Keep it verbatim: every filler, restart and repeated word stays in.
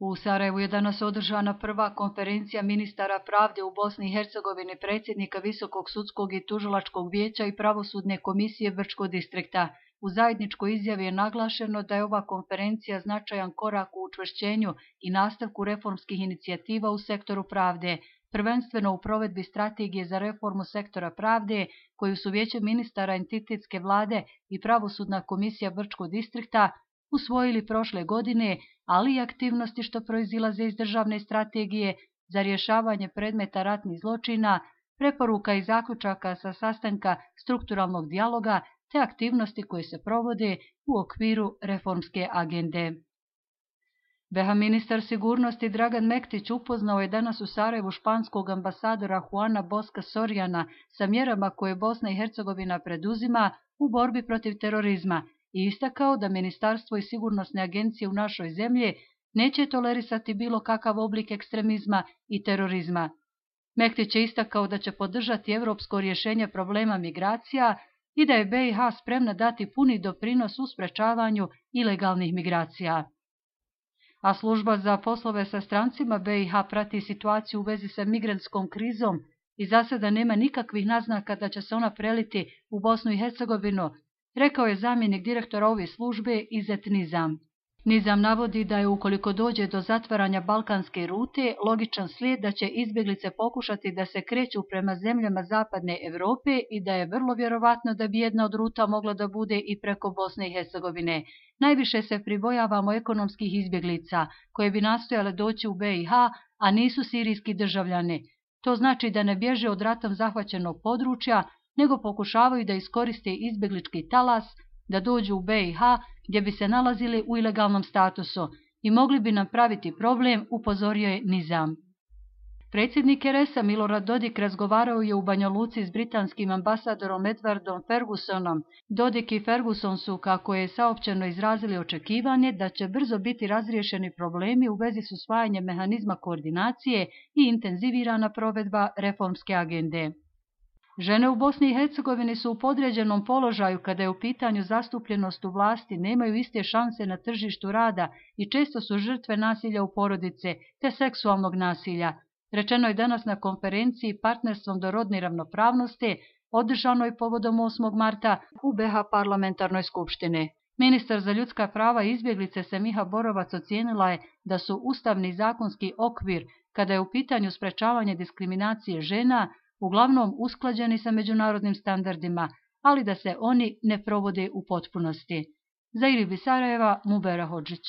U Sarajevu je danas održana prva konferencija ministara pravde u Bosni i Hercegovini, predsjednika Visokog sudskog i tužilačkog vijeća i pravosudne komisije Brčkog distrikta. U zajedničkoj izjavi je naglašeno da je ova konferencija značajan korak u učvršćenju i nastavku reformskih inicijativa u sektoru pravde, prvenstveno u provedbi strategije za reformu sektora pravde, koju su Vijeće ministara entitetske vlade i pravosudna komisija Brčkog distrikta usvojili prošle godine, ali i aktivnosti što proizilaze iz državne strategije za rješavanje predmeta ratnih zločina, preporuka i zaključaka sa sastanka strukturalnog dijaloga te aktivnosti koje se provode u okviru reformske agende. B iH ministar sigurnosti Dragan Mektić upoznao je danas u Sarajevu španskog ambasadora Juana Boska Soriana sa mjerama koje Bosna i Hercegovina preduzima u borbi protiv terorizma i istakao da ministarstvo i sigurnosne agencije u našoj zemlji neće tolerisati bilo kakav oblik ekstremizma i terorizma. Mektić je istakao da će podržati europsko rješenje problema migracija i da je B iH spremna dati puni doprinos u sprečavanju ilegalnih migracija. A služba za poslove sa strancima B iH prati situaciju u vezi sa migrantskom krizom i za sada nema nikakvih naznaka da će se ona preliti u Bosnu i Hercegovinu, rekao je zamjenik direktora ove službe Izet Nizam. Nizam navodi da je ukoliko dođe do zatvaranja balkanske rute, logičan slijed da će izbjeglice pokušati da se kreću prema zemljama zapadne Evrope i da je vrlo vjerovatno da bi jedna od ruta mogla da bude i preko Bosne i Hercegovine. Najviše se pribojavamo ekonomskih izbjeglica, koje bi nastojale doći u B iH, a nisu sirijski državljani. To znači da ne bježe od ratom zahvaćenog područja, nego pokušavaju da iskoriste izbjeglički talas, da dođu u B iH gdje bi se nalazili u ilegalnom statusu i mogli bi nam praviti problem, upozorio je Nizam. Predsjednik R S-a Milorad Dodik razgovarao je u Banja Luci s britanskim ambasadorom Edwardom Fergusonom. Dodik i Ferguson su, kako je saopćeno, izrazili očekivanje da će brzo biti razriješeni problemi u vezi s usvajanjem mehanizma koordinacije i intenzivirana provedba reformske agende. Žene u Bosni i Hercegovini su u podređenom položaju kada je u pitanju zastupljenost u vlasti, nemaju iste šanse na tržištu rada i često su žrtve nasilja u porodice te seksualnog nasilja. Rečeno je danas na konferenciji Partnerstvom do rodne ravnopravnosti, održanoj povodom osmog marta u B iH parlamentarnoj skupštini. Ministar za ljudska prava i izbjeglice Semiha Borovac ocijenila je da su ustavni zakonski okvir, kada je u pitanju sprečavanje diskriminacije žena, uglavnom usklađeni sa međunarodnim standardima, ali da se oni ne provode u potpunosti. Za Iribi Sarajeva, Mubera Hodžić.